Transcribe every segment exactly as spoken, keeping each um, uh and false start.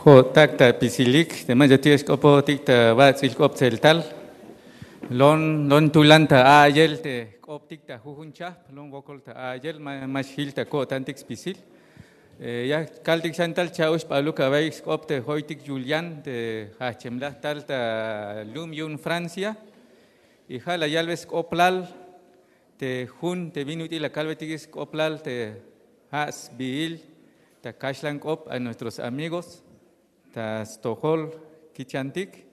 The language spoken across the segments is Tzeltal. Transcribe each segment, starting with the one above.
Ko'tak ta pisilik te mach'atik ya xk'opojotik ta bats'il k'op tseltal. Lon lon tulan ta a'iyel te k'optik ta jujun chajp, lon wokol ta a'iyel, ma xjil ta ko'tantik spisil. Ya kaltik xan tal cha'uxp'aluk awa'iy sk'op te joytik Julián te jajchemlaj tal ta lum yu'un Francia. Y ja' la yalbe sk'oplal te jun te bin ut'il la kalbetik sk'oplal te ja' sbiil ta kaxlan k'op a nuestros amigos ta stojol kichantik.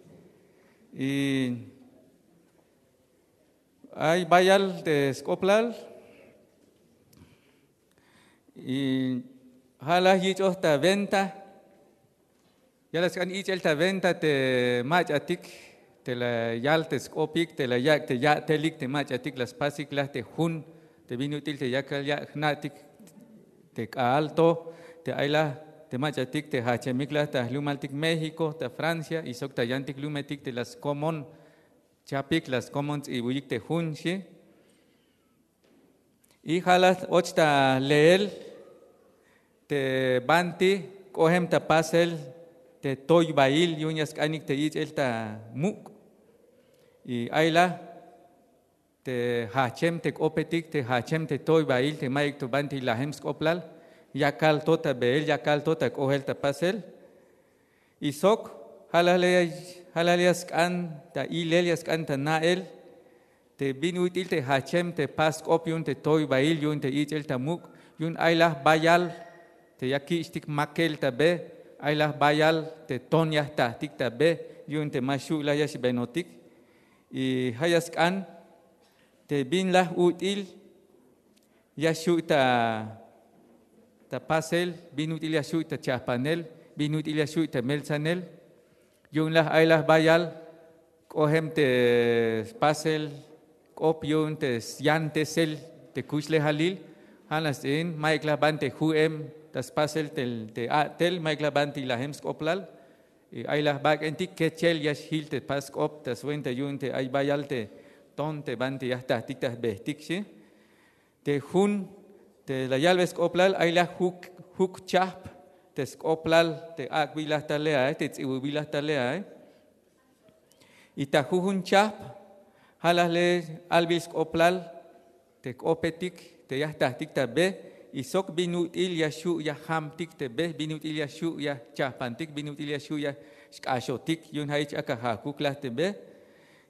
Y ay bayal te sk'oplal. Y ja' la yich'oj ta venta. Ya la sk'an ich'el ta venta te mach'atik te la yal te sk'opik te la yak' te ya'telik te mach'atik la spasik la te jun te bin ut'il te yakal ya' jna'tik te k'a'al to te ay la te mach'atik te jajchemik la ta jlumaltik México, ta Francia y sok ta yantik lumetik te la skomon chapik, la skomon ts'ibuyik te jun xi. Y ja' la och ta leel te banti k'ojem ta pasel te toybail yu'un ya sk'anik te ich'el ta muk'. Y ay la te jajchem te k'opetik te jajchem te toybail te mayuk to banti lajem sk'oplal yakal to ta beel, yakal to ta k'ojel ta pasel. Y sok ja' la le ya sk'an ta ilel, ya sk'an ta na'el te bin ut'il te jajchem te pas k'op yu'un te toybail yu'un te ich'el ta muk', yu'un ay la bayal te ya kich'tik makel ta be, ay la bayal te ton ya jtajtik ta be yu'un te ma xu' la ya xbenotik. Y ja' ya sk'an te bin la ut'il ya xu' ta ta pasel, bin ut'il ya xu' ta chajpanel, bin ut'il ya xu' ta meltsanel. Yu'un la ay la bayal k'ojem te spasel k'op yu'un te syantesel te kuxlejalil. Ja' nax ts'in mayuk la banti ju'em ta spasel te a'tel, mayuk la banti lajem sk'oplal. Ay la bak'entik kechel ya xjil te pas k'op ta swenta yu'un te ay bayal te ton te banti ya jtajtik ta jbejtik xi. Te jun te la yalbe sk'oplal ay la juk juk chajp te sk'oplal te ak'bilaj tal le ae, te ts'ibubilaj tal le ae. Y ta jujun chajp ja' la le albil sk'oplal te k'opetik te ya jtajtik ta be. Y sok bin ut'il ya xu' ya jamtik te be, bin ut'il ya xu' ya chajpantik, bin ut'il ya xu' ya xk'axotik yu'un ja' jich ak'a jajkuk la te be.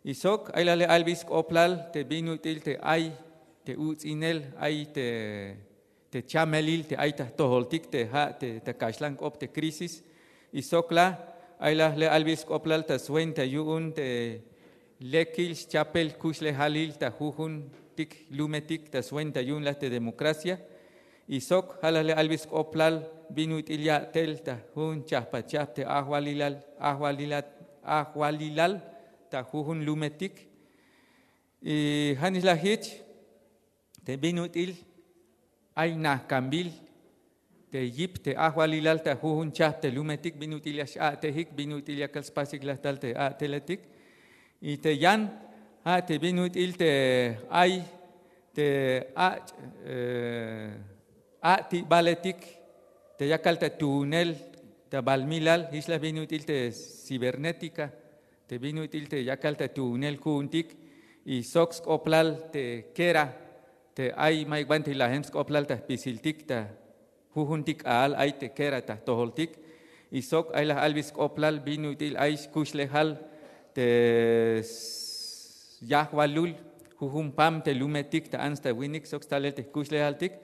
Y sok ay la le albil sk'oplal te bin ut'il te ay te uts'inel, ay te chamelil te ay ta jtojoltik te ja' te ta kaxlan k'op te crisis. Y sok la ay la le albil sk'oplal ta swenta yu'un te lekil xchapel kuxlejalil ta jujuntik lumetik ta swenta yu'un la te democracia. Y sok ja' la le albil sk'oplal bin ut'il ya'tel ta jun chajpachajp te ajwalilal ajwalilal ajwalilal ta jujun lumetik. Y ja' nix la jich te bin ut'il ay najkambil te yip te ajwalilal ta jujun chajp te lumetik, bin ut'il ya x'a'tejik, bin ut'il yakal spasik la tal te a'teletik. Y te yan ja' te bin ut'il te ay te ach' a'tibaletik te yakal ta tuunel ta balmilal jich la bin ut'il te cibernética te bin ut'il te yakal ta tuunel ku'untik. Y sok sk'oplal te kera te ay mayuk banti lajem sk'oplal ta jpisiltik ta jujuntik k'a'al ay te kera ta jtojoltik. Y sok ay la albil sk'oplal bin ut'il ay xkuxlejal te yajwalul jujun pam te lumetik ta ants ta winik sok stalel te jkuxlejaltik.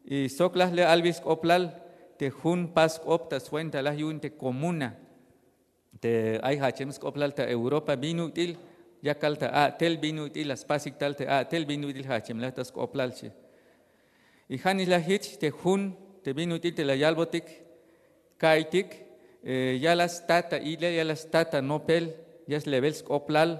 Y sok la le albil sk'oplal te jun pas k'op ta swenta la yu'un te comuna te ay jajchem sk'oplal ta Europa bin ut'il yakal ta a'tel, bin ut'il la spasik tal te a'tel, bin ut'il jajchemlaj ta sk'oplal xi. Y ja' nix la jich te jun te bin ut'il te la yalbotik ka'iytik ya la sta ta ilel, ya la sta ta nopel, ya slebel sk'oplal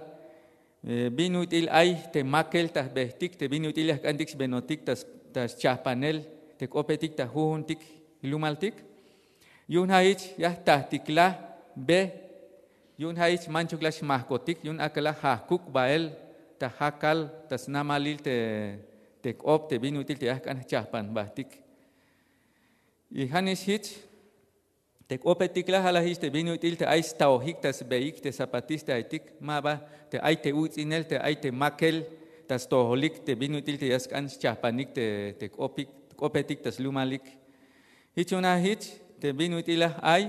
bin ut'il ay te makel ta jbejtik te bin ut'il ya jk'antik xbenotik ta schajpanel te k'opetik ta jujuntik jlumaltik. Yu'un ja' jich ya jtajtik la be yu'un ja' jich manchuk la xmajkotik yu'un ak'a la jajkuk bael ta jakal ta snamalil te k'op te bin ut'il te ya jk'an jchajpan jbajtik. Y ja' nix jich Te k'opetik la ja' la jich te bin ut'il te ay staojik ta sbeik te zapatistahetik, ma ba te ay te uts'inel te ay te makel ta stojolik te bin ut'il te ya sk'an schajpanik te k'opetik ta slumalik. Jich yu'un ja' jich te bin ut'il la ay.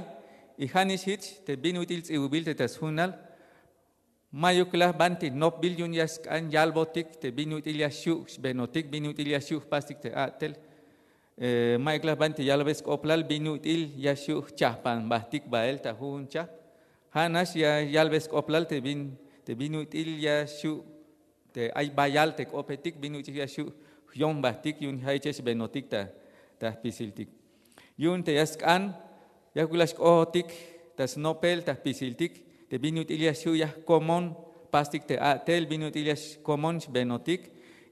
Y ja' nix jich te bin ut'il ts'ibubil te ta sjunal. Mayuk la banti nopbil yu'un ya sk'an yalbotik te bin ut'il ya xu' xbenotik, bin ut'il ya xu' jpastik te a'tel. Mayuk la banti yalbe sk'oplal bin ut'il ya xu' jchajpan jbatik bael ta jujun chajp. Ja' nax ya yalbe sk'oplal te bin ut'il ya xu' te ay bayal te k'opetik bin ut'il ya xu' jyon jbatik yu'un ja' jich ya xbenotik ta jpisiltik. Yu'un te ya sk'an yakuk la xk'ojotik ta snopel ta jpisiltik te bin ut'il ya xu' ya jkomon jpastik te a'tel bin ut'il ya xkomon xbenotik.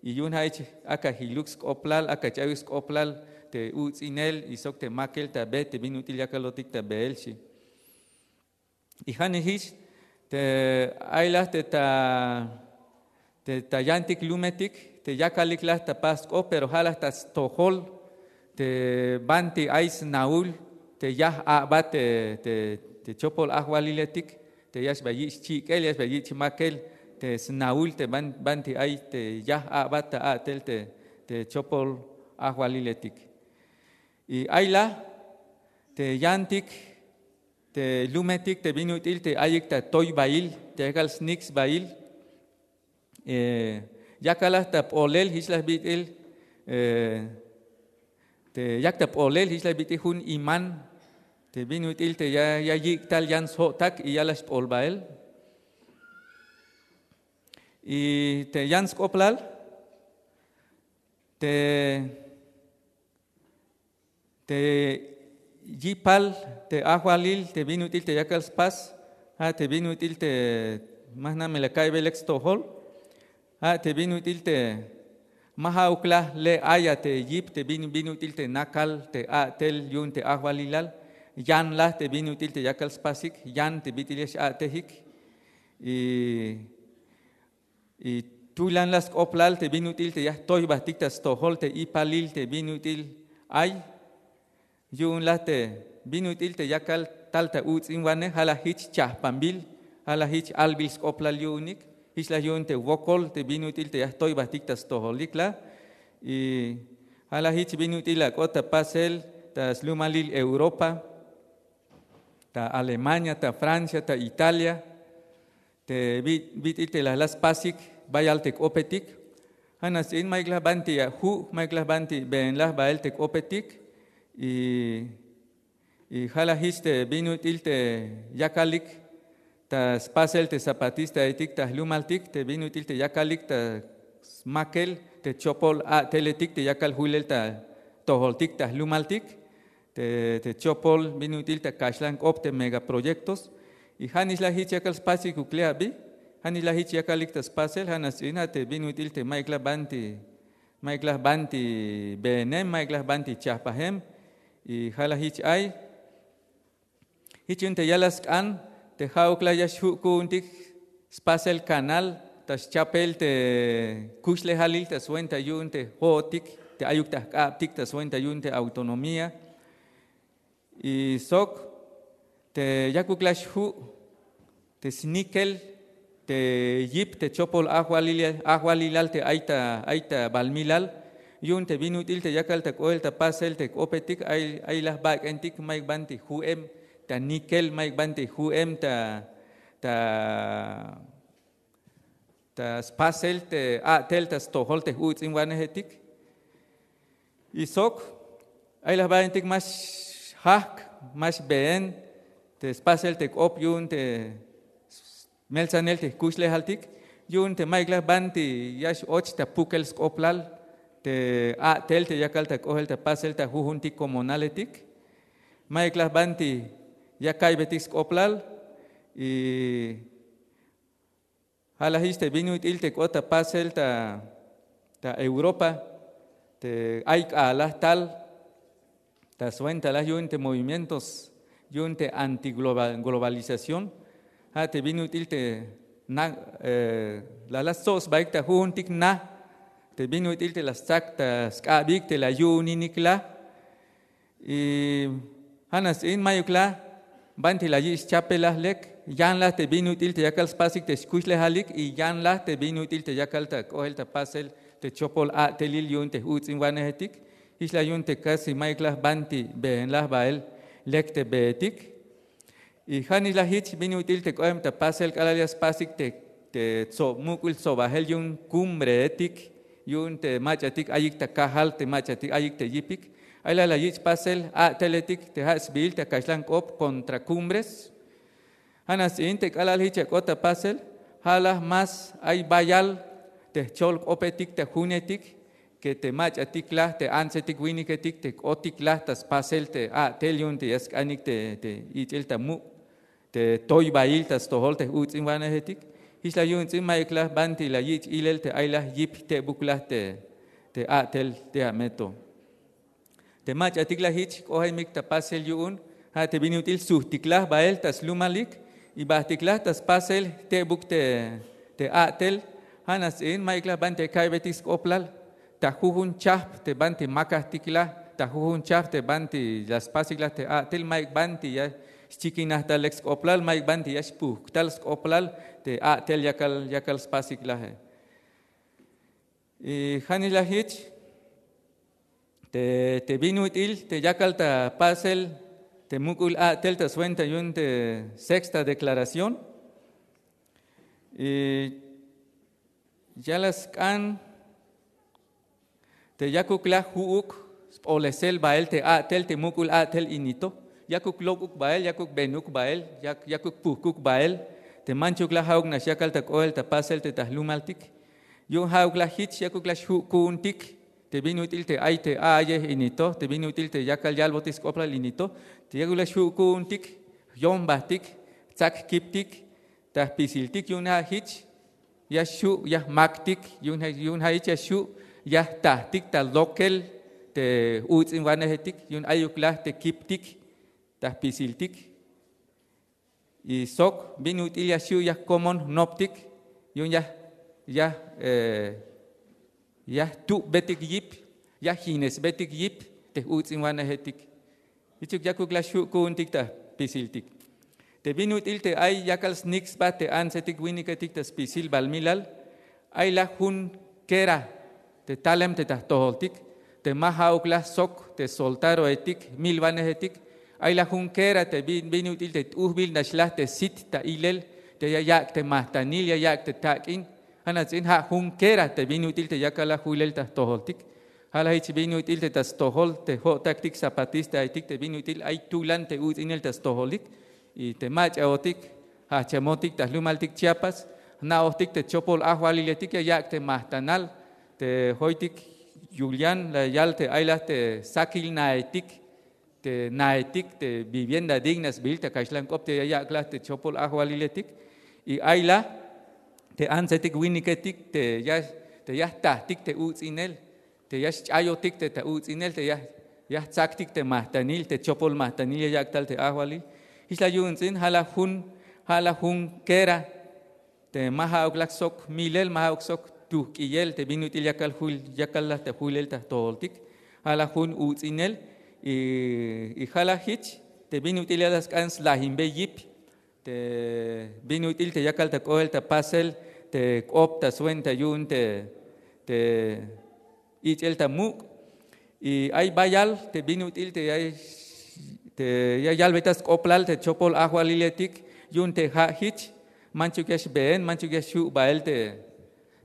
Y yu'un ja' jich aka jiluk sk'oplal aka ch'ayuk sk'oplal te uts'inel y sok te makel ta be te bin ut'il yakalotik ta beel xi. Y ja' nix jich te ay la te ta yantik lumetik te yakalik la ta pas k'op pero ja' la ta stojol te banti ay snahul te yaj a'bat te chopol ajwaliletik te ya xba yich' chik'el ya xba yich' makel te snahul te banti ay te yaj a'bat ta a'tel te chopol ajwaliletik. Y ay la te yantik te lumetik te bin ut'il te ayik ta toybail te yakal snik sbail. Yakal la ta p'olel jich la bit'il te yak ta p'olel jich la bit'il jun iman te bin ut'il te ya yik' tal yan sjo'tak y ya la xp'ol bael. Y te yan sk'oplal te te yipal te ajwalil te bin ut'il te yakal spas ja' te bin ut'il te ma jna' me la ka'iybe lek stojol. Ja' te bin ut'il te ma ja'uk la le' aya te yip te bin ut'il te nakal te a'tel yu'un te ajwalilal. Yan la te bin ut'il te yakal spasik yan te bit'il ya x'a'tejik. Y tulan la sk'oplal te bin ut'il te ya jtoy jbatik ta stojol te ipalil te bin ut'il ay yu'un la te bin ut'il te yakal tal ta uts'inwanej ja' la jich chajpanbil ja' la jich albil sk'oplal yu'unik. Jich la yu'un te wokol te bin ut'il te ya jtoy jbatik ta stojolik la. Y ja' la jich bin ut'il la k'ot ta pasel ta slumalil europa ta alemania ta francia ta italia te bit'il te la la spasik bayal te k'opetik. Ja' nax ts'in mayuk la banti ya ju' mayuk la banti been la bael te k'opetik. Y ja' la jich te bin ut'il te yakalik ta spasel te zapatistahetik ta jlumaltik te bin ut'il te yakalik ta smakel te chopol a'teletik te yakal julel ta tojoltik ta jlumaltik te chopol bin ut'il ta kaxlan k'op te megaproyektos. Y ja' nix la jich yakal spasik ukle' abi. Ja' nix la jich yakalik ta spasel ja' nax ts'in ja' te bin ut'il te mayuk la banti mayuk la jbanti beenem mayuk la jbanti chajpajem. Y ja' la jich ay jich yu'un te ya la sk'an te ja'uk la ya xju' ku'untik spasel kanal ta schapel te kuxlejalil ta swenta yu'un te jo'otik te ayuk ta jk'abtik ta swenta yu'un te autonomía. Y sok te yakuk la xju' te snikel te yip te chopol ajwalilal te ay ta balmilal yu'un te bin ut'il te yakal ta k'ohel ta pasel te k'opetik ay la jbak'entik mayuk banti ju'em ta nikel mayuk banti ju'em ta ta spasel te a'tel ta stojol te j'uts'inwanejetik. Y sok ay la jbak'entik ma xjajk' ma xbeen te spasel te k'op yu'un te meltsanel te jkuxlejaltik yu'un te mayuk la jbanti ya x'och ta pukel sk'oplal te a'tel te yakal ta k'ohel ta pasel ta jujuntik komonaletik. Mayuk la jbanti ya ka'iybetik sk'oplal. Y ja' la jich te bin ut'il te k'ot ta pasel ta europa te ay k'alal tal ta swenta la yu'un te movimientos yu'un te antiglobalización. Ja' te bin ut'il te la la stsob sbaik ta jujuntik na te bin ut'il te la stsak ta sk'abik te la yu'uninik la. Y Ja' nax ts'in mayuk la banti la yich' chapelaj lek, yan la te bin ut'il te yakal spasik te xkuxlejalik y yan la te bin ut'il te yakal ta k'oel ta pasel te chopol a'telil yu'un te j'uts'inwanejetik. Jich la yu'un te kasi mayuk la banti beenlaj bael lek te beetik. Y ja' nix la jich bin ut'il te k'oem ta pasel k'alal ya spasik te te tsob muk'ul tsobajel yu'un kumbreetik, yu'un te mach'atik ayik ta kajal, te mach'atik ayik te yipik. Ay la la yich' pasel a'teletik te ja' sbiil ta kaxlan k'op contra cumbres. Ja' nax ts'in te k'alal jich ya k'ot ta pasel, ja' la más ay bayal te jchol k'opetik ta junetik ke te mach'atik la te antsetik winiketik te k'otik la ta spasel te a'tel yu'un te ya sk'anik te te ich'el ta muk' te toybail ta stojol te j'uts'inwanejetik. Jich la yu'un ts'in mayuk la banti la yich' ilel te ay la yip jtebuk la te te a'tel te a me to. Te mach'atik la jich k'ojemik ta pasel yu'un, ja' te bin ut'il sujtiklaj bael ta slumalik y bajtiklaj ta spasel jtebuk te te a'tel. Ja' nax ts'in mayuk la banti ya ka'ybetik sk'oplal ta jujun chajp te banti makajtik la, ta jujun chajp te banti la spasik la te a'tel, mayuk banti ya xchikinaj tal lek sk'oplal, mayuk banti ya xpujk tal sk'oplal te a'tel yakal yakal spasik laje. Y ja' nix la jich te te bin ut'il te yakal ta pasel te muk'ul a'tel ta swenta yu'un te sexta declaración. Y ya la sk'an te yakuk la ju'uk sp'olesel bael te a'tel te muk'ul a'tel ini to. Yakuk lok'uk bael, yakuk benuk bael, yak yakuk pujkuk bael te manchuk la ja'uk nax yakal ta k'oel ta pasel te ta jlumaltik. Yu'un ja'uk la jich yakuk la xju' ku'untik te bin ut'il te ay te a'ayej ini to, te bin ut'il te yakal yalbotik sk'oplal ini to, te yakuk la xju' ku'untik, jyombajtik, tsak jkiptik ta jpisiltik. Yu'un ja' jich ya xju' ya jmaktik, yu'un ja' jich ya xju' ya jtajtik ta lokel te j'uts'inwanejetik, yu'un ayuk la te kiptik ta jpisiltik. Y sok bin ut'il ya xju' ya jkomon jnoptik, yu'un ya ya ya jtubbetik yip, ya jinesbetik yip te j'uts'inwanejetik. Jichuk yakuk la xju' ku'untik ta jpisiltik. Te bin ut'il te ay yakal snik sba te antsetik winiketik ta spisil balmilal, ay la jun kera te talem te ta jtojoltik te ma ja'uk la sok te soltaroetik jmilwanejetik. Ay la jun kera te bin bin ut'il te t'ujbil nax la te sit ta ilel te ya yak' te majtanil, ya yak' te tak'in. Ja' nax ts'in ja' jun kera te bin ut'il te yakal la julel ta jtojoltik. Ja' la jich bin ut'il te ta stojol te jo'taktik zapatistaetik te bin ut'il ay tulan te uts'inel ta stojolik. Y te mach'aotik jajchamotik ta jlumaltik Chiapas, jna'ojtik te chopol ajwaliletik ya yak' te majtanal te joytik yul yan la yal te ay la te sakil naetik, te naetik te vivienda digna sbiil ta kaxlan k'op te ya yak' la te chopol ajwaliletik. Y ay la te antsetik winiketik te ya te ya jtajtik te uts'inel, te ya xch'ayotik te ta uts'inel, te ya ya jtsaktik te majtanil, te chopol majtanil ya yak' tal te ajwalil. Jich la yu'un ts'in ja' la jun ja' la jun kera te ma ja'uk la sok milel, ma ja'uk sok tujk'iyel te bin ut'il yakal jul yakal la ta julel ta jtojoltik. Ja' la jun uts'inel. Y ja' la jich te bin ut'il ya la sk'an slajinbe yip te bin ut'il te yakal ta k'oel ta pasel te k'op ta swenta yu'un te te ich'el ta muk'. Y ay bayal te bin ut'il te ya te ya yalbey ta sk'oplal te chopol ajwaliletik yu'un te ja' jich manchuk ya xbeen, manchuk ya xju' bael te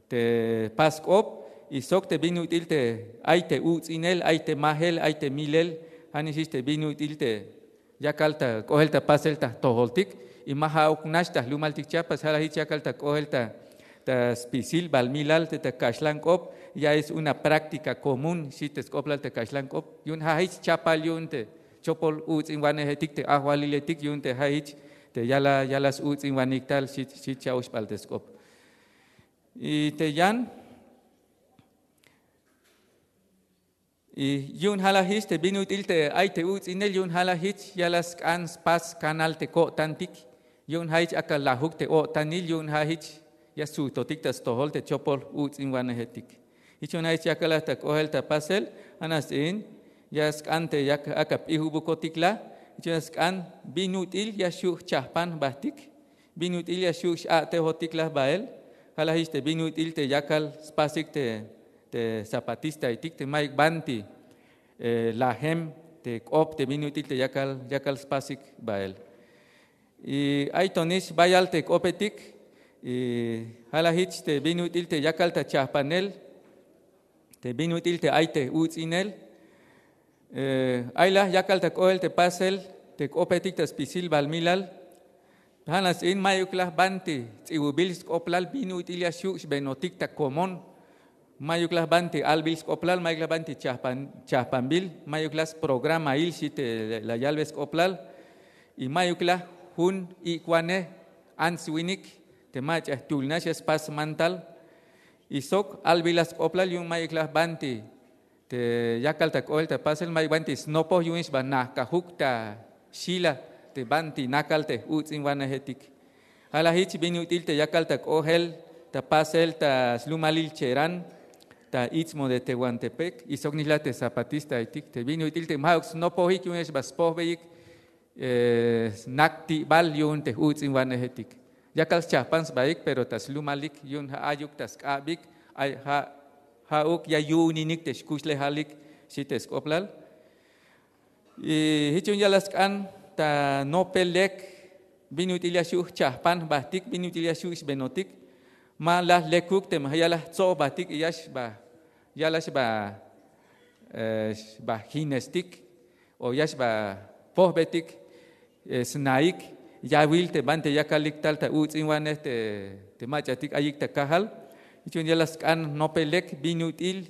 te pas k'op. Y sok te bin ut'il te ay te uts'inel, ay te majel, ay te milel. Ja' nix jich te bin ut'il te yakal ta k'oel ta pasel ta jtojoltik. Y ma ja'uk nax ta jlumaltik Chiapas, ja' la jich yakal ta k'oel ta ta spisil balmilal te ta kaxlan k'op. Ya es una práctica común, xi te sk'oplal ta kaxlan k'op. Yu'un ja' jich chapal yu'un te chopol uts'inwanejetik te ajwaliletik yu'un te ja' jich te ya la ya la s-uts'inwanik tal, xi xi cha'oxp'al te sk'op. Y te yan y yu'un ja' la jich te bin ut'il te ay te uts'inel, yu'un ja' la jich ya la sk'an spas kanal te ko'tantik. Yu'un ja' jich ak'a lajuk te o'tanil, yu'un ja' jich ya sujtotik ta stojol te chopol uts'inwanejetik. Jich yu'un ja' jich yakal la ta k'oel ta pasel. Ja' nax ts'in ya sk'an te yak ak'a p'ijubukotik la. Ich'on ya sk'an bin ut'il ya xju' jchajpan jbahtik, bin ut'il ya xju' x-a'tejotik laj bahel. Ja' la jich te bin ut'il te yakal spasik te zapatistahetik te mayuk banti lajem te k'op te bin ut'il te yakal yakal spasik bahel. Y ay tonix bayal te k'opetik. Y ja' la jich te bin ut'il te yakal ta chajpanel, te bin ut'il te ay te uts'inel. Ay la yakal ta k'ohel te pasel te k'opetik ta spisil balmilal. Ja' nax ts'in mayuk la jbanti ts'iwubil sk'oplal bin ut'il ya xju' xbenotik ta komon. Mayuk la jbanti albil sk'oplal, mayuk la jbanti chajpanbil, mayuk la sprogramail xi te la yalbe sk'oplal. Y mayuk la jun ik'wanej ants winik te mach'a jtuhl nax ya spas mantal. Y sok albil la sk'oplal yu'un mayuk la jbanti te yakal ta k'ohel ta pasel, mayuk banti snopoj yu'un xba najkajuk ta xila te banti nakal te j-uts'inwanejetik. Ja' la jich bin ut'il te yakal ta k'ohel ta pasel ta slumalil cheran, ta Istmo de Tehuantepec y sok nix la te zapatistahetik te bin ut'il te ma'uk snopojik yu'un ya xba spojbeyik snak ti'bal yu'un te j-uts'inwanejetik. Yakal schajpan sbahik pero ta slumalik yu'un ja' ayuk ta sk'abik, ay ja' ja'uk ya yu'uninik te xkuxlejalik xi te sk'oplal. Y jich yu'un ya la sk'an ta nopel lek bin ut'il ya xju' jchajpan jbahtik, bin ut'il ya xju' xbenotik. Ma la jlekuk teme ja' ya la jtsob jbahtik y ya xba ya la xba xba jinestik o ya xba pojbetik snaik yawil te banti yakalik tal ta uts'inwanej te mach'atik ayik ta kajal. Jich yu'un ya la sk'an nopel lek bin ut'il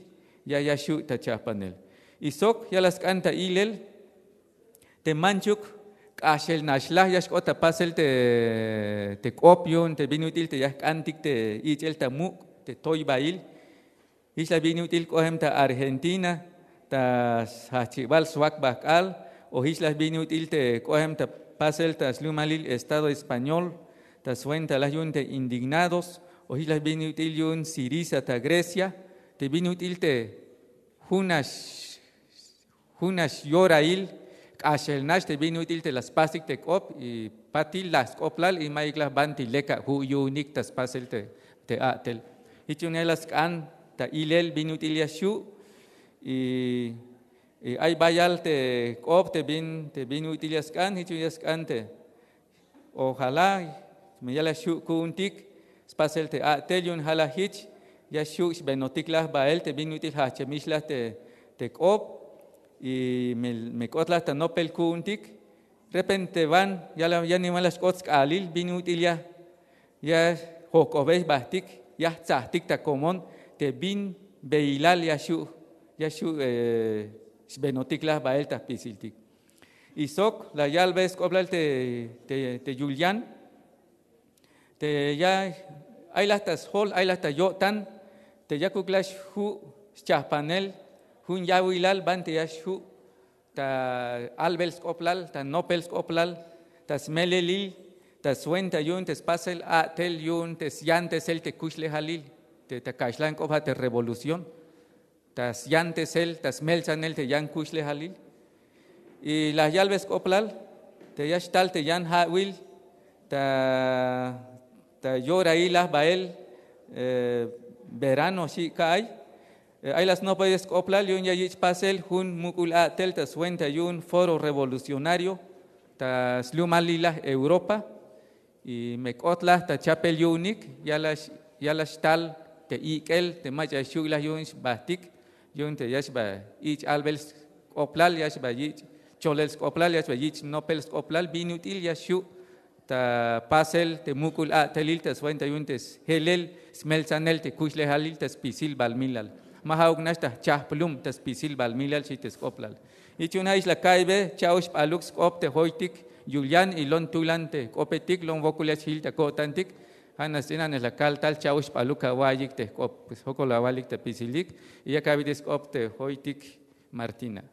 ya ya xju' ta chajpanel. Y sok ya la sk'an ta ilel te manchuk k'axel nax la ya xk'ot ta pasel te k'op yu'un te bin ut'il te ya jk'antik te ich'el ta muk' te toybahil. Jich la bin ut'il k'ohem ta Argentina ta sjajchibal swak bahk'al, o jich la bin ut'il te k'ohem ta pasel ta slumalil Estado Español ta swenta la yu'un te Indignados, o jich la bin ut'il yu'un Siriza ta Grecia, te bin ut'il te jun nax jun nax yorail k'axel nax te bin ut'il te la spasik te k'op y patil la sk'oplal y mayuk la jbanti lek aju' yu'unik ta spasel te a'tel. Jich yu'un ya la sk'an ta ilel bin ut'il ya xju'. Y ay bayal te k'op te bin te bin ut'il ya sk'an, jich yu'un ya sk'an te ojalá me ya la xju' ku'untik spasel te a'tel yu'un ja' la jich ya xju' xbenotik la jbahel te bin ut'il jajchemix la te k'op. Y me k'ot la ta nopel ku'untik, repente wan ya niwan la xk'ot sk'aalil bin ut'il ya ya jojk'obey jbahtik, ya jtsajtik ta komon te bin beilal ya xju' ya xju' xbenotik la jbahel ta jpisiltik. Y sok la yalbe sk'oplal te te yul yan te ya ay la ta sjol, ay la ta yo'tan te yakuk la xju' schajpanel jun yawilal banti ya xju' ta albel sk'oplal, ta nopel sk'oplal, ta smelelil, ta swenta yu'un te spasel a'tel yu'un te syantesel te kuxlejalil te ta kaxlan k'op ja' te revolución. Ta syantesel ta smeltsanel te yan kuxlejalil. Y la yalbe sk'oplal te ya xtal te yan ja'wil ta ta yorail la jbahel verano xi' ka'ay. Ay la snopbey sk'oplal yu'un ya yich' pasel jun muk'ul a'tel ta swenta yu'un Foro Revolucionario ta slumalil la Europa. Y me k'ot la ta chapel yu'unik ya la xtal te ik'el te mach'a xju' la yu'un xbahtik yu'un te ya xba yich' albel sk'oplal, ya xba yich' cholel sk'oplal, ya xba yich' nopel sk'oplal bin ut'il ya xju' ta pasel te muk'ul a'telil ta swenta yu'un te sjelel smeltsanel te kuxlejalil ta spisil balmilal. Ma ja'uk nax ta jchajplum ta spisil balmilal xi te sk'oplal. Jich yu'un ja' ix la ka'iybe cha'oxp'aluk sk'op te joytik yul yan y lon tulan te jk'opetik, lon wokol ya xjil ta ko'tantik. Ja' nax ts'in anej la kal tal cha'oxp'aluk awa'iyik te jk'op, pues jokol awalik ta pisilik. Y ya ka'iybe sk'op te joytik Martina.